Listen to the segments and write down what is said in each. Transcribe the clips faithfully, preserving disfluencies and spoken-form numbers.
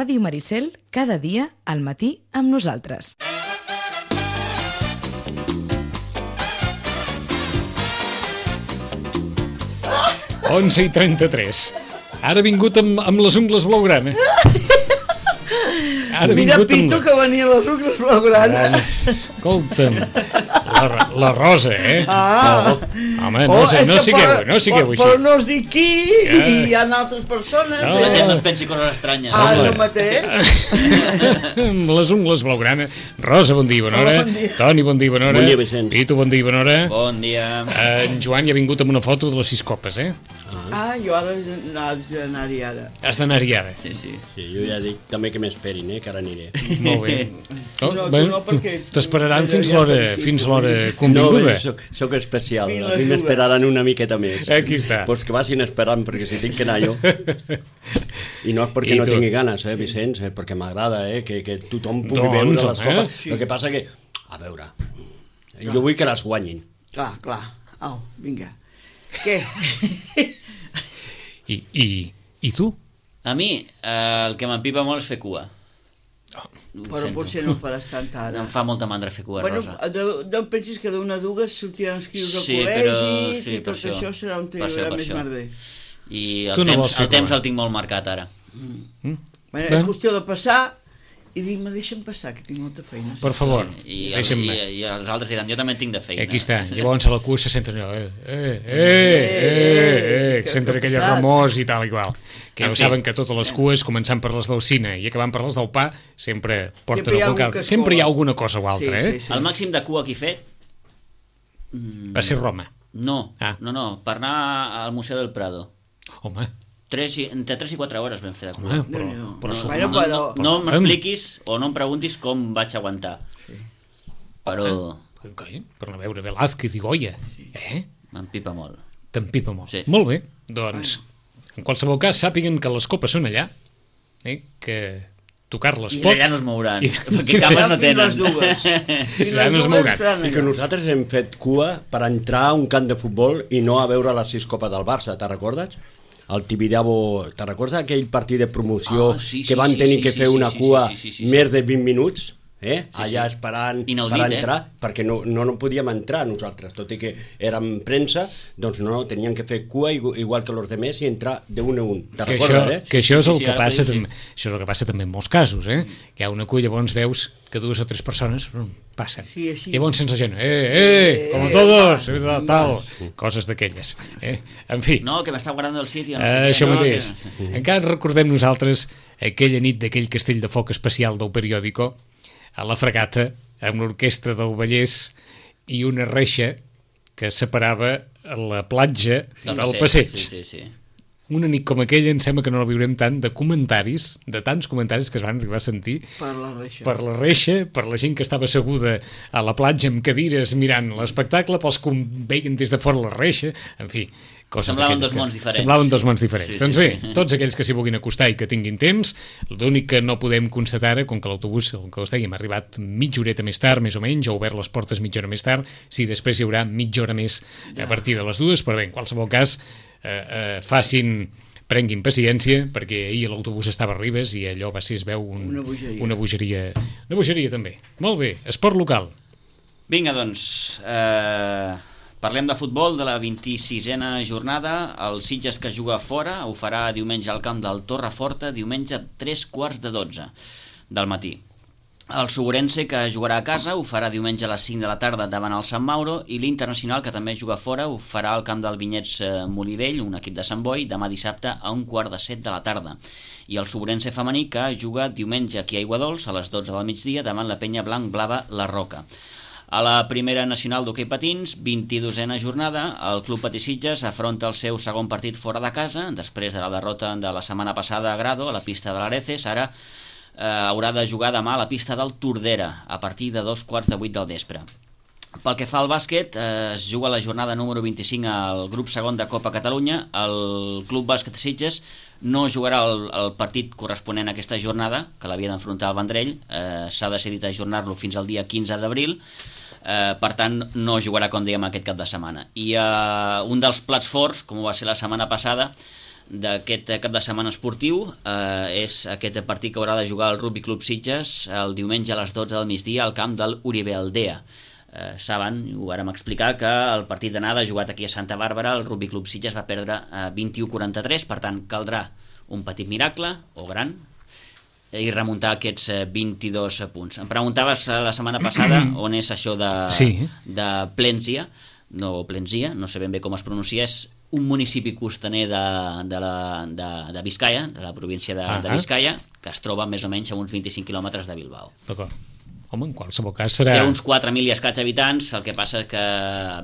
Ràdio Maricel, cada dia al matí amb nosaltres. onze i trenta-tres. Ara ha vingut amb, amb les ungles blaugrana. Ara Mira Pito amb... que venia les ungles blaugrana. Escolta'm, la, la Rosa, eh? Ah. Oh, home, no, oh, sé, no sigueu, no sigueu així. Però no es diu qui, ja. I hi ha altres persones. No. La gent no es pensi coses estranyes. Ah, no mateix. Amb les ungles blaugrana. Rosa, bon dia, bona hora. Oh, bon dia. Toni, bon dia, bona hora. Bon dia, Vicenç. Pito, bon dia, bona hora. Bon dia. En Joan ja ha vingut amb una foto de les sis copes, eh? Ah, jo ara haig d'anar-hi ara. Has d'anar-hi ara? Sí, sí. Sí, jo ja dic també que m'esperin, eh, que ara aniré. Molt bé. Oh, no, bueno, no, perquè... T'esperaran fins l'hora fins l'hora convinguda. No, soc, soc especial, a mi m'esperaran una miqueta més. Aquí està. Pues que vagin esperant, perquè si tinc que anar jo. I no és perquè I no tu? tingui ganes, eh, Vicenç, eh, perquè m'agrada, eh, que, que tothom pugui doncs, veure les copes. Eh? Sí. El que passa que, a veure, clar, jo vull que les guanyin. Clar, clar. Au, vinga. Què? I, i, I tu? A mi, eh, el que m'empipa molt és fer cua. Oh, però sento. Potser no faràs tanta ara. Em fa molta mandra fer cua, bueno, Rosa. No em pensis que d'una dues sortiran inscrits al sí, col·legi però, sí, i tot això, això serà un tema més merder. I el, no temps, el temps el tinc molt marcat ara. Mm. Mm. Bueno, és qüestió de passar i dic, me deixa'm passar, que tinc molta feina. Per favor, sí, i, el, i, i els altres diran, jo també en tinc de feina. Aquí està, llavors a la cua se senten allò, eh, eh, eh, eh, eh, que senten aquella remors i tal i qual. Que ja ho saben que totes les cues, començant per les del cine i acabant per les del pa, sempre porten algun cal. Sempre hi ha alguna cosa o altra, eh? El màxim de cua que he fet... Va ser Roma. No, no, no, per anar al Museu del Prado. Home... Tres i, entre tres i quatre hores vam fer de cua. Home, però, però, però, no, no, no, no, no m'expliquis o no em preguntis com vaig aguantar. Sí. Però... Okay, per no veure Velázquez i Goya. Eh? M'empipa molt. T'empipa molt. Sí. Molt bé, doncs, en qualsevol cas, sàpiguen que les copes són allà, eh? Que tocar-les pot... I allà no es mouran, I... perquè cames no tenen. Les dues. I allà no es mouran. I que nosaltres hem fet cua per entrar a un camp de futbol i no a veure les sis copes del Barça, te'n recordes? El Tibidabo, te'n recordes aquell partit de promoció ah, sí, sí, que van tenir sí, que fer sí, una sí, cua sí, sí, sí, sí, sí. més de vint minuts eh? sí, allà sí. esperant Inaudit, per entrar eh? perquè no, no, no podíem entrar nosaltres, tot i que érem premsa, doncs no, teníem que fer cua igual que els altres i entrar d'un a un. Te'n recordes, això, eh? Que això és el sí, sí, que passa sí. també, això és el que passa també en molts casos, eh? Que hi ha una cua, llavors veus que dues o tres persones passen. Sí, sí. Llavors sense gent, eh, eh, com a todos, eh, tal, coses d'aquelles. Eh? En fi. No, que m'està guardant el sitio. No eh, sé això què, mateix. No, que... Encara recordem nosaltres aquella nit d'aquell castell de foc especial del periòdico, a la Fragata, amb l'orquestra del Vallès i una reixa que separava la platja del, del passeig. Sí, sí, sí. Una nit com aquella em sembla que no la viurem tant de comentaris, de tants comentaris que es van arribar a sentir per la reixa, per la, reixa, per la gent que estava asseguda a la platja amb cadires mirant l'espectacle, pels que veien des de fora la reixa, en fi, coses semblaven dos que, mons diferents. Semblaven dos mons diferents. Sí, doncs sí, bé, sí. Tots aquells que s'hi vulguin acostar i que tinguin temps, l'únic que no podem constatar ara, com que l'autobús, com que us dèiem, ha arribat mitja horeta més tard, més o menys, ha obert les portes mitja hora més tard, si després hi haurà mitja hora més a partir de les dues, però bé, en qualsevol cas, eh, eh, facin... prenguin paciència, perquè ahir l'autobús estava a Ribes i allò va ser, es veu un, una, bogeria. una bogeria. Una bogeria també. Molt bé, esport local. Vinga, doncs, eh, parlem de futbol de la vint-i-sisena jornada. El Sitges, que juga fora, ho farà diumenge al camp del Torreforta, diumenge a tres quarts de dotze del matí. El Suburense, que jugarà a casa, ho farà diumenge a les cinc de la tarda davant el Sant Mauro, i l'Internacional, que també juga fora, ho farà al camp del Vinyets Molivell, un equip de Sant Boi, demà dissabte a un quart de set de la tarda. I el Suburense femení, que juga diumenge aquí a Aiguadols a les dotze del migdia davant la penya blanc blava La Roca. A la primera nacional d'hoquei patins, vint-i-dosena jornada, el Club Patí Sitges afronta el seu segon partit fora de casa, després de la derrota de la setmana passada a Grado, a la pista de l'Areces. Ara eh, haurà de jugar demà a la pista del Tordera, a partir de dos quarts de vuit del vespre. Pel que fa al bàsquet, eh, es juga la jornada número vint-i-cinc al grup segon de Copa Catalunya. El Club Bàsquet Sitges no jugarà el, el partit corresponent a aquesta jornada, que l'havia d'enfrontar al Vendrell. Eh, s'ha decidit ajornar-lo fins al dia quinze d'abril. Eh, per tant, no jugarà, com dèiem, aquest cap de setmana. I eh, un dels plats forts, com va ser la setmana passada, d'aquest cap de setmana esportiu eh, és aquest partit que haurà de jugar el Rugby Club Sitges el diumenge a les dotze del migdia al camp del Uribe Aldea. Eh, saben, ho vàrem explicar, que el partit d'anada jugat aquí a Santa Bàrbara, el Rugby Club Sitges va perdre eh, vint-i-u a quaranta-tres, per tant caldrà un petit miracle, o gran, i remuntar aquests eh, vint-i-dos punts. Em preguntaves eh, la setmana passada on és això de, sí. de Plenzia, no Plenzia, no sé ben bé com es pronuncia, és un municipi costaner de, de, la, de, de Biscaia, de la província de, ah, de Biscaia, que es troba més o menys a uns vint-i-cinc quilòmetres de Bilbao. D'acord. Home, en qualsevol cas serà... Té uns quatre mil i escaig habitants, el que passa que,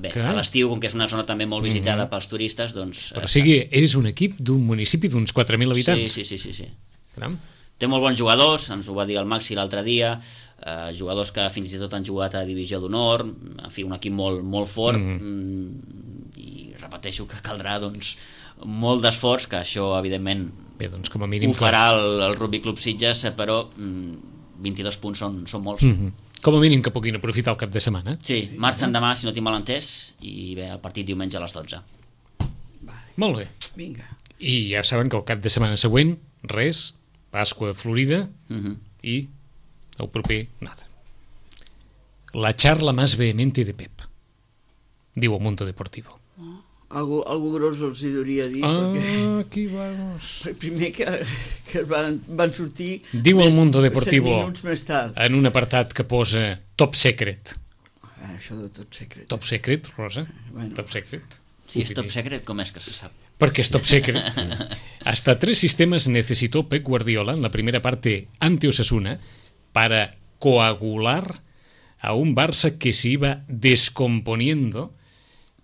bé, que... a l'estiu, com que és una zona també molt visitada mm-hmm. pels turistes, doncs... Però o sigui, és un equip d'un municipi d'uns quatre mil habitants? Sí, sí, sí. sí, sí. Caram. Té molt bons jugadors, ens ho va dir el Maxi l'altre dia, eh, jugadors que fins i tot han jugat a Divisió d'Honor, en fi, un equip molt, molt fort, mm-hmm. i repeteixo que caldrà, doncs, molt d'esforç, que això, evidentment, bé, doncs, com a mínim, ho farà el, el Rugby Club Sitges, però mm, vint-i-dos punts són, són molts. Mm-hmm. Com a mínim que puguin aprofitar el cap de setmana. Sí, marxen demà, si no tinc mal entès, i bé, el partit diumenge a les dotze. Vale. Molt bé. Vinga. I ja saben que el cap de setmana següent, res, Pasqua Florida, Uh-huh. i el proper, nada. La charla más vehemente de Pep, diu el Mundo Deportivo. Algo, algo gros els hi hauria dir, Ah, perquè aquí vamos. primer que, que van, van sortir Diu el Mundo Deportivo, set minuts més tard. en un apartat que posa Top Secret. Ah, això de tot secret. Top Secret, Rosa? Bueno. Top Secret. Si és top secret, com és que se sap? Porque es top secret. Hasta tres sistemas necesitó Pep Guardiola en la primera parte ante Osasuna para coagular a un Barça que se iba descomponiendo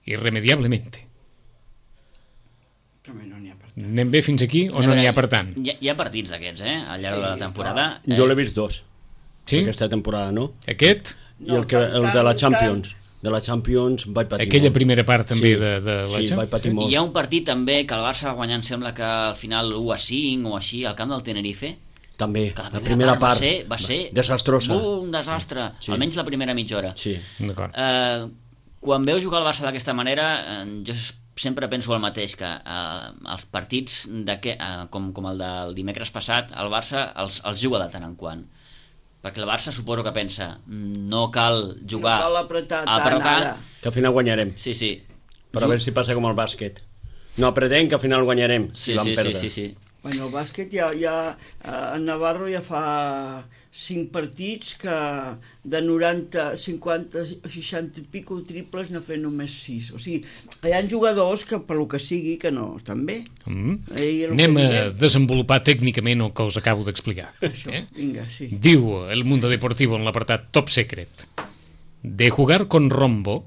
irremediablemente. També no n'hi ha per tant. Anem bé fins aquí o no n'hi ha per tant? Hi ha, hi ha partits d'aquests, eh? Al llarg de la temporada. Eh, Jo l'he vist dos, Sí? aquesta temporada, no? Aquest? I No, el, que, el de la tant, Champions. De la Champions vaig patir Aquella molt. primera part també Sí, de, de la sí, Champions? vaig patir molt. Hi ha un partit també que el Barça va guanyar, em sembla que al final u a cinc o així, al camp del Tenerife, També, que la primera part va ser, va ser desastrosa. un desastre, Sí. almenys la primera mitja hora. Sí. D'acord. Eh, quan veus jugar el Barça d'aquesta manera, eh, jo sempre penso el mateix, que eh, els partits de que, eh, com, com el del dimecres passat, el Barça els, els juga de tant en quant. Perquè el Barça suposo que pensa, no cal jugar No cal apretar a tant apretar. ara. Que al final guanyarem. Sí, sí. Però a veure si passa com el bàsquet. No apretem, que al final guanyarem. Sí, si vam sí, sí, perdre. sí, sí. Bueno, el bàsquet ja, ja eh, en Navarro ja fa cinc partits que de noranta, cinquanta, seixanta i pico triples n'ha fet només sis. O sigui, hi ha jugadors que per lo que sigui que no estan bé. Mm. Eh, Anem a desenvolupar tècnicament el que us acabo d'explicar. Això, Eh? vinga, sí. Diu el Mundo Deportivo en l'apartat Top Secret. De jugar con Rombo,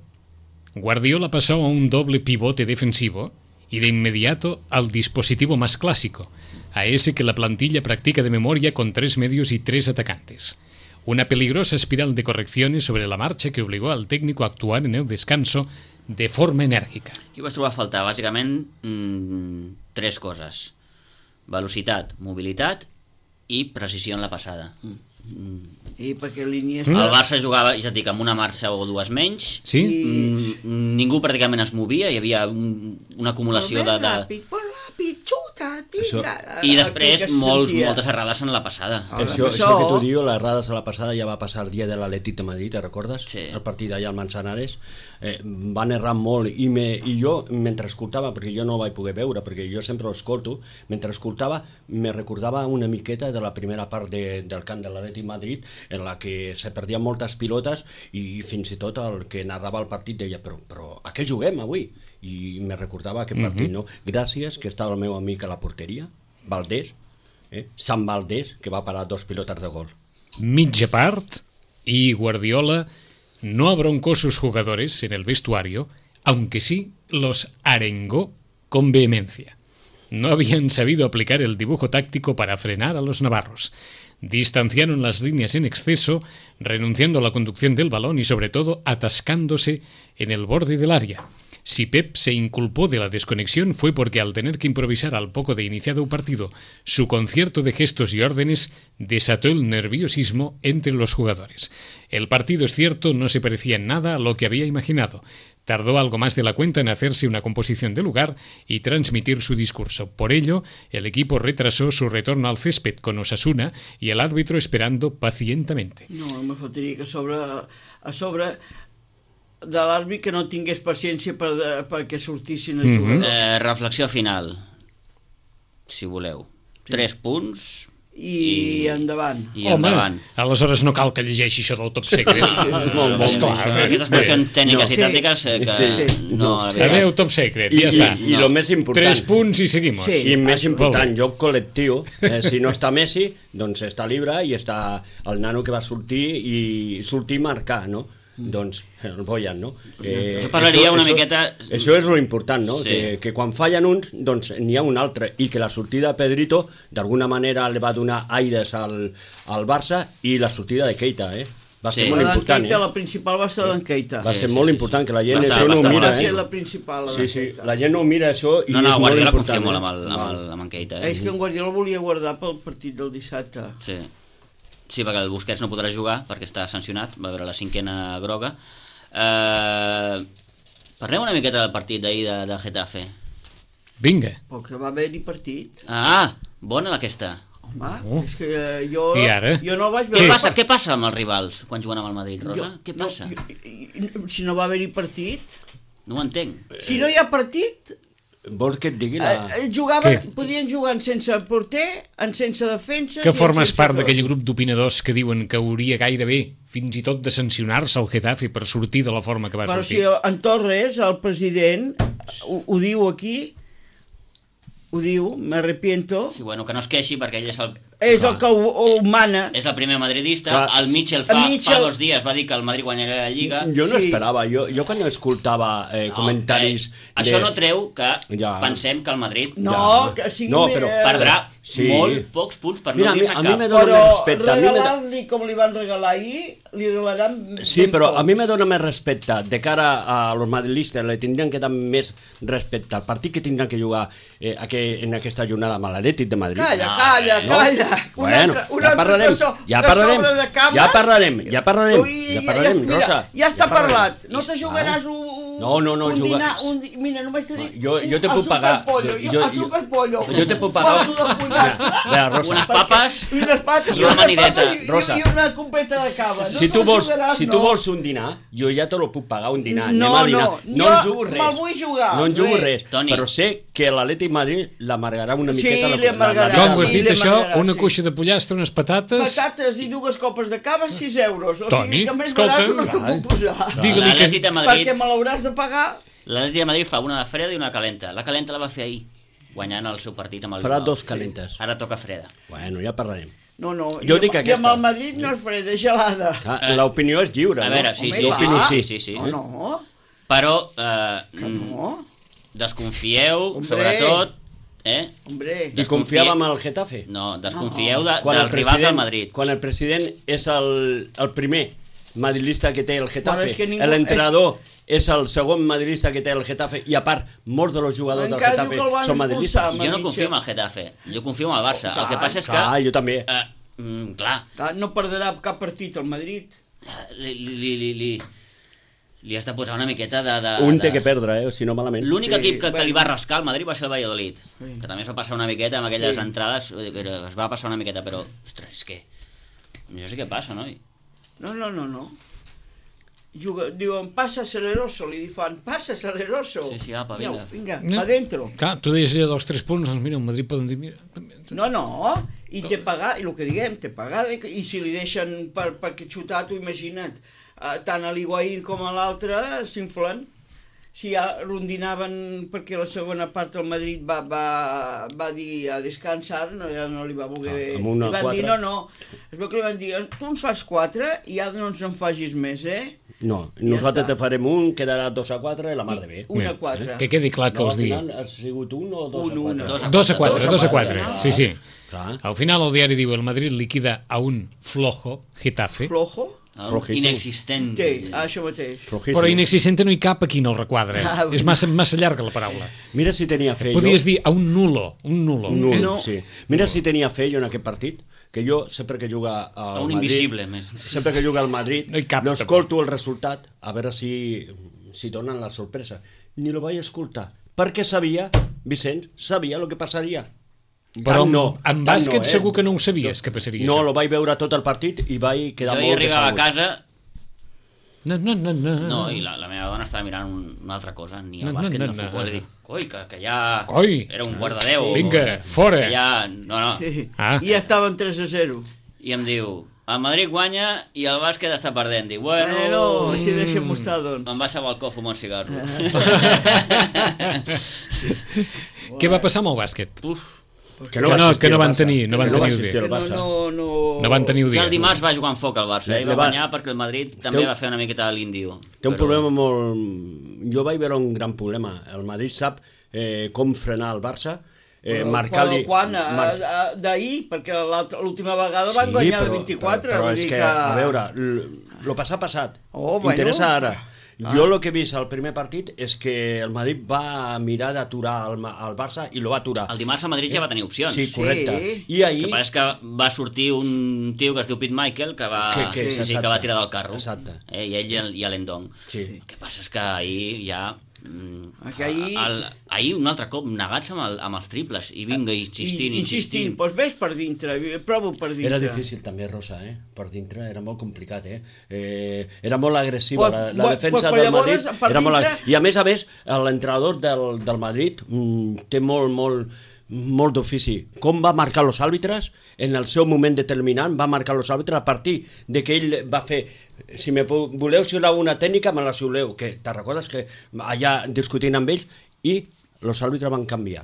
Guardiola pasó a un doble pivote defensivo y de inmediato al dispositivo más clásico, a ese que la plantilla practica de memoria con tres medios y tres atacantes. Una peligrosa espiral de correcciones sobre la marcha que obligó al técnico a actuar en el descanso de forma enèrgica. I vaig trobar a faltar, bàsicament, mmm, tres coses. Velocitat, mobilitat i precisió en la passada. Mm. I perquè línia El està... Barça jugava, ja et dic, amb una marxa o dues menys. Sí? Mm, ningú pràcticament es movia, hi havia un, una acumulació de... de... Ràpid, molt ràpid, xuta, vinga. I després Aquell que molts, sentia. moltes errades en la passada. Ah, Això, això- això que tu dius, les errades a la passada ja va passar el dia de l'Atlètic de Madrid, te recordes? Sí. El partit allà al Manzanares. Eh, van errar molt i, me, i jo, mentre escoltava, perquè jo no ho vaig poder veure, perquè jo sempre ho escolto, mentre escoltava me recordava una miqueta de la primera part de, del camp de l'Atlètic Madrid, en la que se perdien moltes pilotes i fins i tot el que narrava el partit deia, però, però a què juguem avui? I me recordava aquest partit, no? Gràcies que estava el meu amic a la porteria, Valdés, eh? Sant Valdés, que va parar dos pilotes de gol. Mitja part y Guardiola no abroncó sus jugadores en el vestuario, aunque sí los arengó con vehemencia. No habían sabido aplicar el dibujo táctico para frenar a los navarros. Distanciaron las líneas en exceso, renunciando a la conducción del balón y sobre todo atascándose en el borde del área. Si Pep se inculpó de la desconexión fue porque al tener que improvisar al poco de iniciado un partido, su concierto de gestos y órdenes desató el nerviosismo entre los jugadores. El partido, es cierto, no se parecía en nada a lo que había imaginado. Tardó algo más de la cuenta en hacerse una composición de lugar y transmitir su discurso. Por ello, el equipo retrasó su retorno al césped con Osasuna y el árbitro esperando pacientemente. No, me faltaria que a sobre, a sobre de l'àrbit que no tingués paciència per, perquè sortissin a jugar. Mm-hmm. eh, reflexió final, si voleu. Sí. Tres punts... I, i endavant. I endavant. Home, aleshores no cal que llegeixi això del top secret. Molt, molt, molt. Aquestes qüestions tècniques i tàctiques eh, que sí, sí. no... Sí. Adéu, top secret, I, ja està. I, i no. Lo més important... Tres punts i seguimos. Sí. I més important, joc col·lectiu. Eh, si no està Messi, doncs està Libra i està el nano que va sortir i sortir i marcar, no? Doncs el Boyan, no? Eh, això parlaria una això, miqueta... Això és lo important, no? Sí. Que, que quan fallen uns, doncs n'hi ha un altre, i que la sortida de Pedrito d'alguna manera li va donar aires al, al Barça, i la sortida de Keita, eh? Va ser sí. molt important, Keita, eh? La principal va ser d'en Keita. Va sí, ser sí, molt sí, important, sí. que la gent Bastant, això no ho mira, Va ser eh? la principal, la sí, sí, Keita. la gent no ho mira això i no, no, és molt Guardiola important. confia molt eh? amb, el, amb, el, amb en Keita. Eh? És que en Guardiola volia guardar pel partit del dissabte. Sí. Sí, perquè el Busquets no podrà jugar perquè està sancionat, va veure la cinquena groga. Uh, parlem una miqueta del partit d'ahir de, de Getafe. Vinga. Perquè va haver-hi partit. Ah, bona aquesta. Home, oh. és que jo, I ara? jo no vaig Què veure... passa, què passa amb els rivals quan juguen amb el Madrid, Rosa? Jo, què passa? No, jo, si no va haver-hi partit... No ho entenc. Si no hi ha partit... Vols que et digui la... Eh, jugaven, Què? podien jugar en sense porter, en sense defensa... Que formes part d'aquell grup d'opinadors que diuen que hauria gairebé fins i tot de sancionar-se el Getafe per sortir de la forma que va Però sortir. si en Torres, el president, ho, ho diu aquí, ho diu, me arrepiento... Sí, bueno, que no es queixi perquè ell és el... És el que ho, ho mana. És el primer madridista. Clar. El Mitchell fa, El Mitchell- fa dos dies va dir que el Madrid guanyarà la Lliga. Jo no Sí. esperava, jo, jo quan escoltava eh, No, comentaris... eh, això de... no treu que Ja. pensem que el Madrid No, Ja. que sigui... No, però eh, perdrà Sí. molt pocs punts per Mira, no a mi- dir-ne a mi cap. me dona Però més respecte. A mi me da- regalar-li com li van regalar ahir, li regalaran... Sí, ben però a mi pocs. me dona més respecte de cara a los madridistes, le tindrien que dar més respecte al partit que tindran que jugar eh, aqu en aquesta jornada amb l'Atlètic de Madrid. Calla, No, calla, no. calla. Un Bueno, altre, un ja altre parlarem, que so, ja que parlarem, sobre de cames. ja parlarem, ja parlarem, Ui, ja parlarem, mira, Rosa, ja està ja parlarem. parlat. No te jugaràs un... No, no, no, un juga- dinar, un, di- mira, només t'he dit... Jo- jo te el puc pagar. superpollo, Jo- jo, jo- el superpollo. jo te puc pagar. Passo de pollastre. Mira, Rosa. Unes papes I unes pates, i una amanideta. I, Rosa. i una copeta de cava. No Si te tu, la vols, jugaràs, si tu no. vols un dinar, jo ja te lo puc pagar un dinar. No, Anem a dinar. no, no jo en jugo res. me'l vull jugar, No en jugo res. res. Toni. Però sé que l'Atlètic Madrid l'amargarà una Sí, miqueta. li amargarà. Com ho has Sí, dit, li això? m'agradarà, Una sí. cuixa de pollastre, unes patates... Patates i dues copes de cava, sis euros. O Toni, sigui que més escolta, barat no t'ho clar. puc posar. Digue-li que... L'Atlètic de Madrid, Perquè me l'hauràs de pagar. l'Atlètic de Madrid fa una de freda i una de calenta. La calenta la va fer ahir, guanyant el seu partit amb el Farà Bilbao. dos calentes. Ara toca freda. Bueno, ja parlarem. No, no, Jo i, dic amb, i aquesta. amb el Madrid no és freda, és gelada. Ah, Eh, L'opinió és lliure, A no? veure, sí, Home, sí, i sí, va. sí, sí, sí. No, no, Però eh, que no. desconfieu, Hombre. sobretot, eh? Hombre, I confiàvem en el Getafe? No, desconfieu de, Quan dels el rivals president- del Madrid. Quan el president és el, el primer madridista que té el Bueno, Getafe, és que ningú- l'entrenador és el segon madridista que té el Getafe, i a part, molts dels jugadors del Encara diu Getafe que el van són madridistes. expulsar. Jo no Mitchell. confio en el Getafe, jo confio en el Barça. El que Clar, passa és que... Clar, jo també. Eh, mm, clar, clar, no perdrà cap partit el Madrid. li, li, li, li, li has de posar una miqueta de... de Un de... té que perdre, eh? Si no malament. L'únic Sí, equip que, que bueno. li va rascar al Madrid va ser el Valladolid, Sí. que també es va passar una miqueta amb aquelles Sí. entrades, vull dir, però es va passar una miqueta, però, ostres, és que... Jo sé què passa, noi? No, no, no, no. Juga, diuen, passa aceleroso, li fan, passa aceleroso. Sí, sí, apa, Vinga, vinga. vinga, va dentro. Clar, tu deies allò dels tres punts, doncs mira, el Madrid poden dir... Mira, No, no, i té pagar, i el que diguem, té pagar, i si li deixen per, perquè xutar, tu imagina't, eh, tant a l'Higuaín com a l'altre s'inflen. Si ja rondinaven perquè la segona part del Madrid va, va, va dir a descansar, no, ja no li va voler... Ah, amb una li van quatre. dir, no, no, es veu que li van dir, tu ens fas quatre i ja no ens en facis més, eh? No, Ja nosaltres està. te farem un, quedarà dos a quatre, la mar de bé. Una Mira, quatre. que quedi clar que No, els al digui. final ha sigut un o dos Un, a una. quatre? Dos a quatre, dos a quatre, sí, sí. Clar. Al final el diari diu el Madrid liquida a un flojo Getafe. Flojo? Inexistent. Sí, això mateix. Però inexistent no hi cap aquí en el requadre. Ah, és massa, massa llarga la paraula. Mira si tenia fe. Podies jo... dir a un nulo. Un nulo. Un nulo, no. sí. Mira si tenia fe jo en aquest partit, que jo sempre que juga al un Madrid, invisible, més. sempre que juga al Madrid, no cap, l'escolto el resultat, a veure si, si donen la sorpresa. Ni lo vaig escoltar, perquè sabia, Vicenç, sabia el que passaria. Però no, en bàsquet no, eh? segur que no ho sabies, que passaria no, això. No, lo vaig veure tot el partit i vaig quedar jo molt hi arribava decebut. a casa... No, no, no, no. No, i la, la meva dona estava mirant un, una altra cosa, ni el no, bàsquet no, ni el no, futbol, no. i dic, coi, que, que ja... Coi. Era un quart de deu. Vinga, fora. Que ja... No, no. Sí. Ah. I ja estaven tres a zero. I em diu, el Madrid guanya i el bàsquet està perdent. Dic, bueno... Bueno, així deixem-ho estar, doncs. Em vaig al balcó a fumar un cigarro. Què va passar amb el bàsquet? Uf. Que no, que no, que no van tenir, no van tenir Que no, no, no... no van tenir Ja dia. el dimarts va jugar en foc al Barça, eh? I va guanyar perquè el Madrid també un... va fer una miqueta de l'índio. Té un però... problema molt... Jo vaig veure un gran problema. El Madrid sap eh, com frenar el Barça, eh, marcar-li... Quan? Mar... D'ahir, perquè l'última vegada van sí, guanyar però, de vint-i-quatre. Però, però és que, que, a veure, el passat passat, oh, bueno. interessa ara. Ah. Jo el que he vist al primer partit és que el Madrid va mirar d'aturar el, el Barça i lo va aturar. El dimarts el Madrid ja va tenir opcions. Sí, correcte. Sí. I ahir... El que passa és que va sortir un tio que es diu Pete Michael que va, que, que, sí, sí, que va tirar del carro. Exacte. Eh, I ell i, el, i l'Endong. Sí. El que passa és que ahir ja... Mm, que ahir... El, ahir un altre cop negats amb, el, amb els triples i vinga insistint, I, insistint. insistint. Doncs ves per dintre, provo per dintre. Era difícil també, Rosa, eh? Per dintre era molt complicat, eh? eh era molt agressiva, la, la pues, defensa pues, del llavors, Madrid per era molt... dintre... I a més a més, l'entrenador del, del Madrid mm, té molt, molt, molt d'ofici. Com va marcar els àrbitres en el seu moment determinant, va marcar els àrbitres a partir de que ell va fer... Si me voleu xiular una tècnica, me la xiuleu. Que te recordes que allà discutint amb ells i els àrbitres van canviar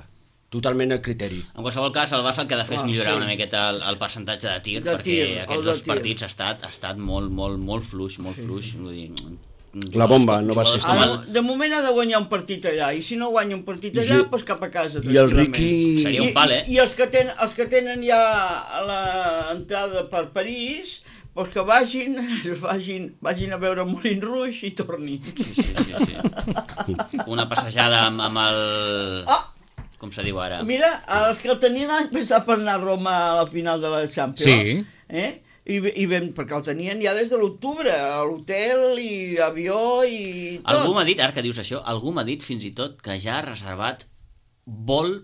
totalment el criteri. En qualsevol cas, el Barça el que ha de fer és Ah, millorar sí. una miqueta el, el percentatge de tir, De perquè tir, aquests el de dos tir. partits ha estat, ha estat molt, molt, molt fluix, molt Sí. fluix. Vull dir, La bomba no va jugadors ser com Ara, el- de moment ha de guanyar un partit allà, i si no guanya un partit allà, I- doncs cap a casa. I el tranquil·lament. Riqui... Seria un pal, eh? I, i els, que ten, els que tenen ja l'entrada per París, doncs que vagin, vagin, vagin a veure Moulin Rouge i tornin. Sí, sí, sí, sí. Una passejada amb, amb el... Ah! Com se diu ara? Mira, els que el tenien han pensat per anar a Roma a la final de la Champions. Sí. Eh? I, i ben, perquè el tenien ja des de l'octubre, a l'hotel i avió i tot. Algú m'ha dit, ara que dius això, algú m'ha dit fins i tot que ja ha reservat vol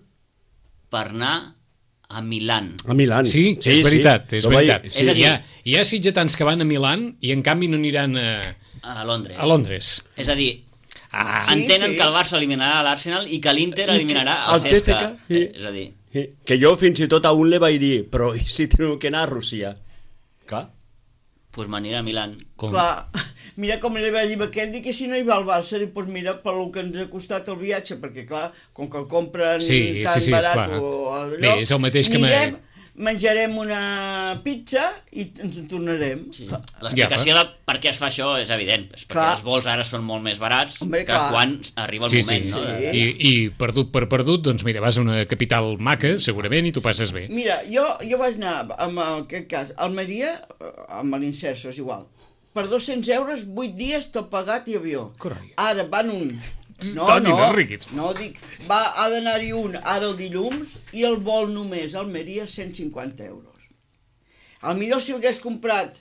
per anar a Milan. A Milan. Sí, sí, és veritat, és Lo vaig- veritat. És a dir- hi, ha, hi ha sitgetans que van a Milan i en canvi no aniran a, A Londres. a Londres. És a dir, Ah, Sí, entenen sí. que el Barça eliminarà l'Arsenal i que l'Inter I eliminarà que- el el Cesca. Cesca, sí. Eh, És a dir, Sí, que jo fins i tot a un li vaig dir, però i si teniu que anar a Rússia? Clar. pues m'anirà a Milan. com... Clar, mira com li va dir a aquell, dic que si no hi va al Barça, dic, doncs mira, pel que ens ha costat el viatge, perquè clar, com que el compren Sí, tan sí, sí, barat esclar. o allò, Bé, és el mateix que me- anirem, menjarem una pizza i ens en tornarem. Sí. Clar. L'explicació de per què es fa això és evident, és perquè Clar. els vols ara són molt més barats Home, que clar. quan arriba el Sí, moment. sí. No? Sí. De- I, I perdut per perdut, doncs mira, vas a una capital maca, segurament, i t'ho passes bé. Mira, jo, jo vaig anar, en aquest cas, a Almeria, eh, amb l'Inserso, és igual, per dos-cents euros, vuit dies, tot pagat i avió. Carai. Ara van un... No, Toni, no, no riguis. no, dic, va, ha d'anar-hi un ara el dilluns i el vol només a Almeria cent cinquanta euros. Al millor si l'hagués comprat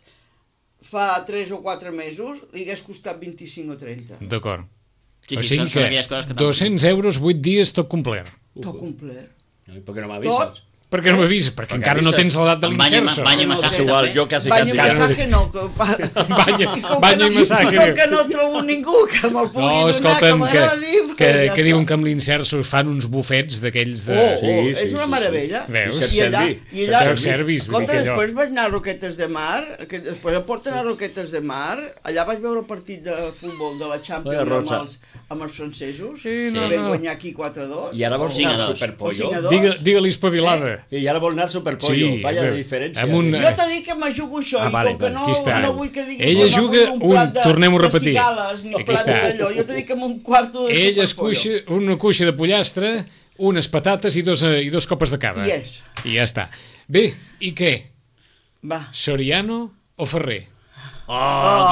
fa tres o quatre mesos, li hagués costat vint-i-cinc o trenta. D'acord. Sí, O sí, sigui són, són que aquelles coses que... t'han- dos-cents euros, vuit dies, tot complet. Tot complet. I per què no m'avises? Per què no m'avises? Perquè Perquè encara no avises. tens l'edat de Amb banya, l'inserso. banya i No, massatge És igual, també. jo quasi, Banya quasi... i Encara no massatge no. Que, Banya- com que banya i no- massatge. Com que no trobo ningú que me'l pugui No, donar, escolta'm, que que, m'agrada dir, que, pues ja que diuen està. que amb l'inserso es fan uns bufets d'aquells de... Oh, oh, Sí, sí, és una sí, meravella. sí. Veus? I allà, Self-servi. i allà, Self-service, vull dir escolta, que allò- després vaig anar a Roquetes de Mar, que després de porten a Roquetes de Mar, allà vaig veure el partit de futbol de la Champions Oye, amb Rosa. els, amb els francesos, Sí, no, que vam no. guanyar aquí quatre a dos. I ara vols cinc a anar al dos. Superpollo? O cinc a dos. Digue, digue-li espavilada. I ara vol anar al Superpollo. Sí, Vaya bé. diferència. Amb un- Jo t'he dit que me jugo això, Ah, i vale, com que vale, no, aquí està. no vull que diguis Ella que m'ha juga posat un- plat de, tornem-ho a de repetir. cigales, ni Aquí plat està. d'allò. Jo t'he dit que amb un quarto de Ell es Superpollo. cuixa una cuixa de pollastre, unes patates i dos, eh, i dos copes de cava. Yes. I ja està. Bé, i què? Va. Soriano o Ferrer? Oh,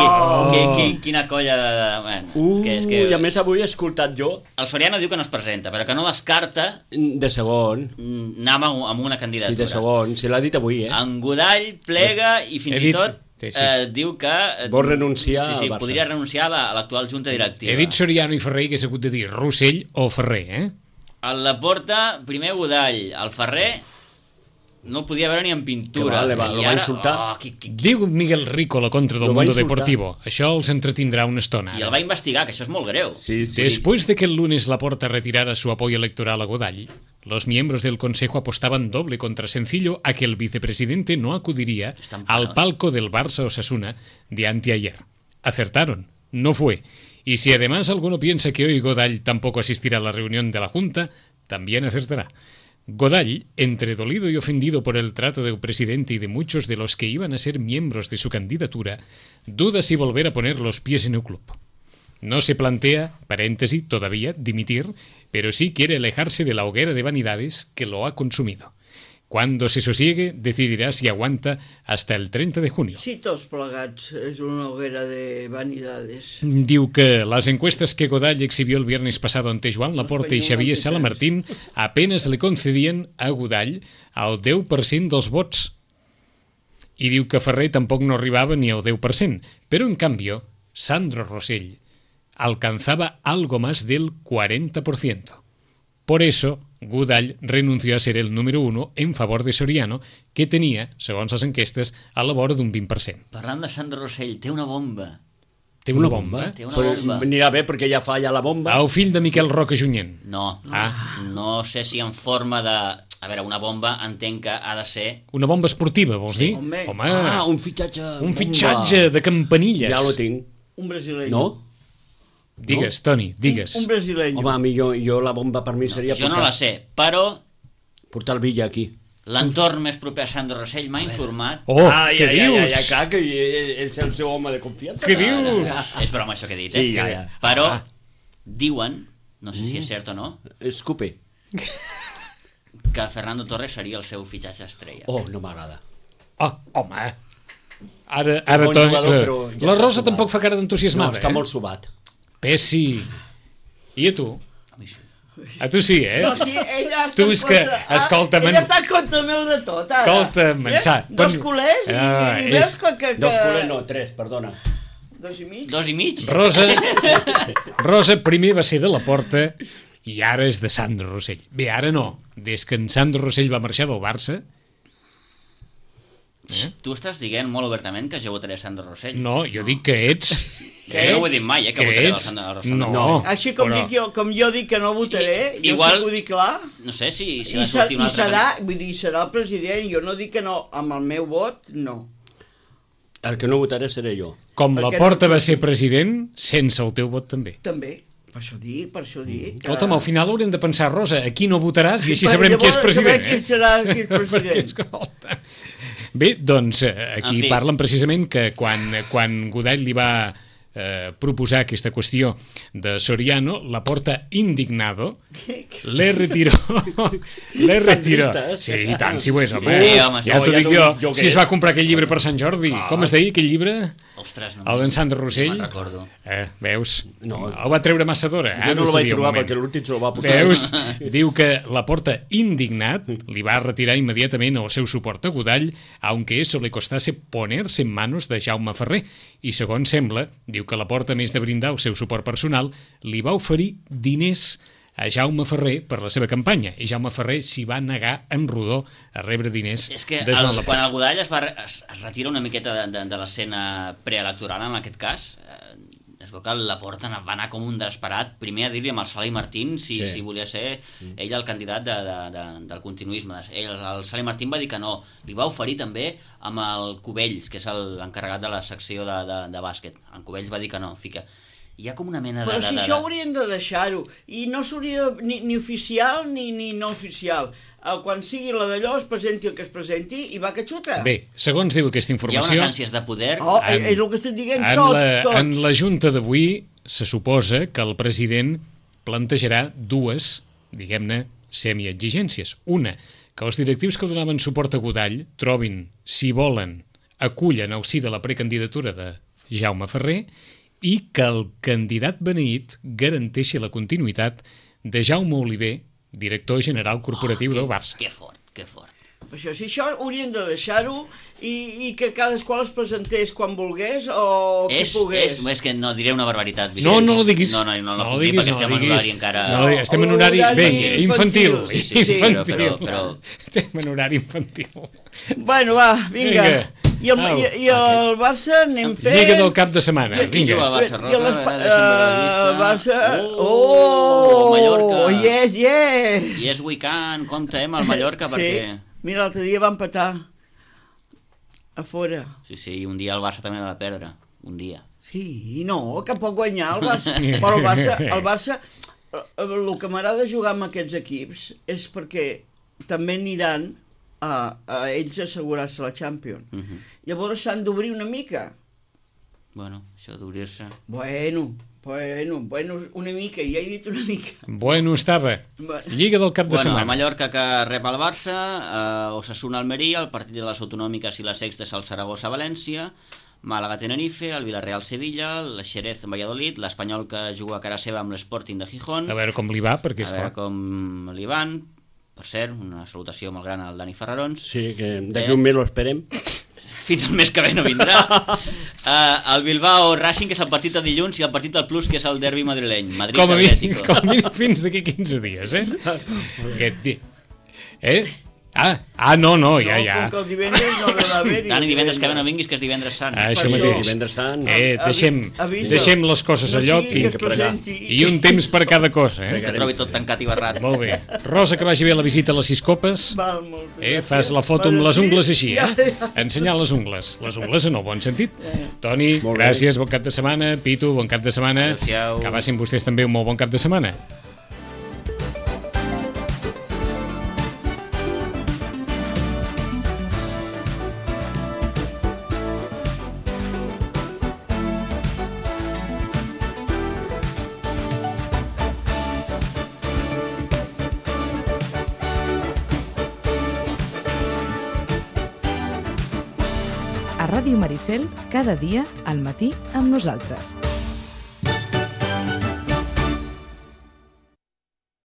oh. Qui, qui, quina colla de... Bueno, Uh, és que, és que... I a més avui he escoltat jo... El Soriano diu que no es presenta, però que no descarta De segon. anar amb, amb una candidatura. Sí, de segon. Se l'ha dit avui, eh? En Godall plega i fins He i dit- tot sí, sí. eh, diu que... eh, Vol renunciar sí, sí, al Barça. podria renunciar a la- a l'actual junta directiva. He dit Soriano i Ferrer i hagués hagut de dir Rossell o Ferrer, eh? A la porta, primer Godall, el Ferrer no el podia veure ni en pintura. Que va, le va- I lo va ara- insultar. Oh, qui, qui, qui, Diu Miguel Rico la contra del Lo va Mundo insultar. Deportivo. Això els entretindrà una estona. I el ara. va investigar, que això és molt greu. Sí, sí. Después de que el lunes Laporta retirara su apoyo electoral a Godall, los miembros del Consejo apostaban doble contra sencillo a que el vicepresidente no acudiría Están al parados. palco del Barça Osasuna de anteayer. Acertaron, no fue. Y si además alguno piensa que hoy Godall tampoco asistirá a la reunión de la Junta, también acertará. Godall, entre dolido y ofendido por el trato del presidente y de muchos de los que iban a ser miembros de su candidatura, duda si volver a poner los pies en el club. No se plantea, paréntesis, todavía, dimitir, pero sí quiere alejarse de la hoguera de vanidades que lo ha consumido. Cuando se sosiegue, decidirá si aguanta hasta el treinta de junio. Sí, tots plegats és una hoguera de vanidades. Diu que las encuestas que Godall exhibió el viernes pasado ante Joan Laporta y Xavier Salamartín apenas le concedien a Godall el deu per cent dels vots. I diu que Ferrer tampoc no arribava ni al deu per cent, però en cambio, Sandro Rosell alcanzaba algo más del cuarenta por ciento. Por eso, Godall renunció a ser el número uno en favor de Soriano, que tenia, segons les enquestes, a la vora d'un vint per cent. Parlant de Sandro Rosell, té una bomba. Té una bomba? Té una Però bomba. anirà bé perquè ja falla la bomba. El fill de Miquel Roca Junyent. No, Ah. no sé si en forma de... A veure, una bomba entenc que ha de ser... Una bomba esportiva, vols dir? home. Home, Ah, un fitxatge. un bomba. fitxatge de campanilles. Ja lo tinc. Un brasileño. No? Digues, Toni, digues. Un brasileño. Home, a mi jo, jo la bomba per mi seria Jo no portar, la sé, però portar el Villa aquí. l'entorn més proper a Sandro Rosell m'ha informat... Oh, ai, què ai, dius? Ai, ai, clar, que és el seu home de confiança. Què dius? És broma això que he dit, Sí, eh? ja, ja. Però Ah. diuen, no sé si és cert o no, Escupe. que Fernando Torres seria el seu fitxatge estrella. Oh, no m'agrada. Oh, home. Ara, ara Bon Toni... jugador, eh, però ja la està Rosa sobat. tampoc fa cara No, d'entusiasmada, està eh? molt sobat. Pessi. I a tu? A mi sí. A tu sí, eh? No, sí, ella està Tu en és que, contra... escolta, ah, man- ella està en contra meu de tot, ara. Escolta, Eh? Mansà, Dos quan- culers i, Ah, i és- veus que... que, que... Dos culers no, tres, perdona. Dos i mig? Dos i mig? Rosa, Rosa primer va ser de la Porta i ara és de Sandro Rosell. Bé, ara no. Des que en Sandro Rosell va marxar del Barça, Eh? Tu estàs dient molt obertament que jo votaré Sandro Rosell. no, jo dic que ets... Que jo no ho he dit mai, eh, que, que votaré el ets... Sandro Rosell. No, No. Així com, però- dic jo, com jo dic que no votaré, I- jo igual- sí que ho dic clar. No sé si, si I, va ser, sortir un i altre... serà, vull dir, serà el president, jo no dic que no, amb el meu vot, no. El que no votaré seré jo. Com la Perquè Porta no- va ser president, sense el teu vot també. També, per això dic, per això dic. que- Escolta'm, al final haurem de pensar, Rosa, aquí no votaràs i així Perquè sabrem qui és llavors president. sabrem qui serà qui és Perquè, president. escolta... Bé, doncs eh, aquí En fi. parlen precisament que quan, quan Godall li va eh, proposar aquesta qüestió de Soriano, la Porta indignado le retiró le retiró Sandristes. sí, i tant, si ho és, home, Sí, home, ja no, t'ho ja dic t'ho jo, dic jo si què es és. va comprar aquell llibre per Sant Jordi, com es deia aquell llibre? Ostres, no, El d'en Sandro Rosell? no me'n recordo. Eh, veus? No. El va treure massa d'hora. Jo ah, no el vaig sabia el trobar moment. perquè l'últim se lo va posar. Veus? Diu que la Porta, indignat, li va retirar inmediatament el seu suport a Godall, aunque eso le costase ponerse en manos de Jaume Ferrer. I segons sembla, diu que la Porta, a més de brindar el seu suport personal, li va oferir diners a Jaume Ferrer per la seva campanya. I Jaume Ferrer s'hi va negar en rodó a rebre diners És que de Joan el, Laporta. quan el Godall es, va, es, es retira una miqueta de, de, de l'escena preelectoral, en aquest cas, eh, es veu que la Porta va anar com un desesperat primer a dir-li amb el Sala i Martín si, Sí. si volia ser ell el candidat de, de, de, del continuisme. Ell, el Sala i Martín va dir que no. Li va oferir també amb el Cubells, que és el- l'encarregat de la secció de, de, de bàsquet. En Cubells va dir que no. Fica. Hi ha com una mena de... Però de, si de, això de... haurien de deixar-ho, i no s'hauria de, ni, ni oficial ni, ni no oficial. El, quan sigui la d'allò es presenti el que es presenti i va que xuta. Bé, segons diu aquesta Hi ha informació... unes ànsies de poder... Oh, En- és el que estic dient En tots, la, tots. en la junta d'avui se suposa que el president plantejarà dues, diguem-ne, semiexigències. Una, que els directius que donaven suport a Godall trobin, si volen, acullen al sí de la precandidatura de Jaume Ferrer, i que el candidat beneït garanteixi la continuïtat de Jaume Oliver, director general corporatiu oh, que, del Barça. Que fort, que fort. Això, si això haurien de deixar-ho i, i que cadascú es presentés quan volgués o qui és, pogués. És, és que no diré una barbaritat. No, no ho diguis. No, no, no, no, no no diguis, perquè no estem en horari encara... No, estem en horari, horari vinga, infantil. infantil. Sí, sí, infantil. Però, però, però... Estem en horari infantil. Bueno, va, vinga. Vinga. I el, i, i el Barça anem fent... Lliga del cap de setmana, Qui juga vinga. al Barça, Rosa? I el, A veure, deixa'm veure la llista. el Barça... Oh, Oh, Mallorca. yes, yes. Yes, we can, compte, eh, amb el Mallorca, perquè... Sí. Mira, l'altre dia va empatar a fora. Sí, sí, un dia el Barça també va perdre, un dia. Sí, no, que pot guanyar el Barça. Però el Barça, el Barça, el que m'agrada jugar amb aquests equips és perquè també aniran a, a ells assegurar-se la Champions. Uh -huh. Llavors s'han d'obrir una mica. Bueno, això d'obrir-se... Bueno, bueno, bueno, una mica, ja he dit una mica. Bueno, estava. Lliga del cap de Bueno, setmana. el Mallorca que rep el Barça, eh, Osasuna Almeria, el partit de les autonòmiques i la sexta és el Saragossa València, Màlaga Tenerife, el Villarreal Sevilla, el Xerez Valladolid, l'Espanyol que juga a cara seva amb l'Sporting de Gijón. A veure com li va, perquè A és veure clar. com li van. Per cert, una salutació molt gran al Dani Ferrarons. Sí, que d'aquí Eh? un mes lo esperem. Fins al mes que ve no vindrà. uh, el Bilbao Racing, que és el partit de dilluns, i el partit del Plus, que és el derbi madrileny. Madrid Com a mínim, Atlético. com a mínim fins d'aquí quinze dies, eh? Aquest dia. Eh? Ah, ah, no, no, ja, No, ja. com que el divendres no haurà d'haver-hi. Dani, divendres que ve no vinguis, que és divendres sant. Ah, això Per això. mateix. Divendres sant. Eh, deixem, Avisa. deixem les coses a No lloc sigui i, que es presenti. i un temps per cada cosa, eh? Que trobi tot tancat i barrat. Molt bé. Rosa, que vagi bé la visita a les sis copes. Val, moltes Eh, gràcies. fas la foto amb les ungles així, Ja, eh? ja. Ensenyar les ungles. Les ungles en el bon sentit. Eh. Toni, Molt bé. gràcies, bon cap de setmana. Pitu, bon cap de setmana. Adéu-siau. Que passin vostès també un molt bon cap de setmana. A Ràdio Maricel, cada dia al matí amb nosaltres.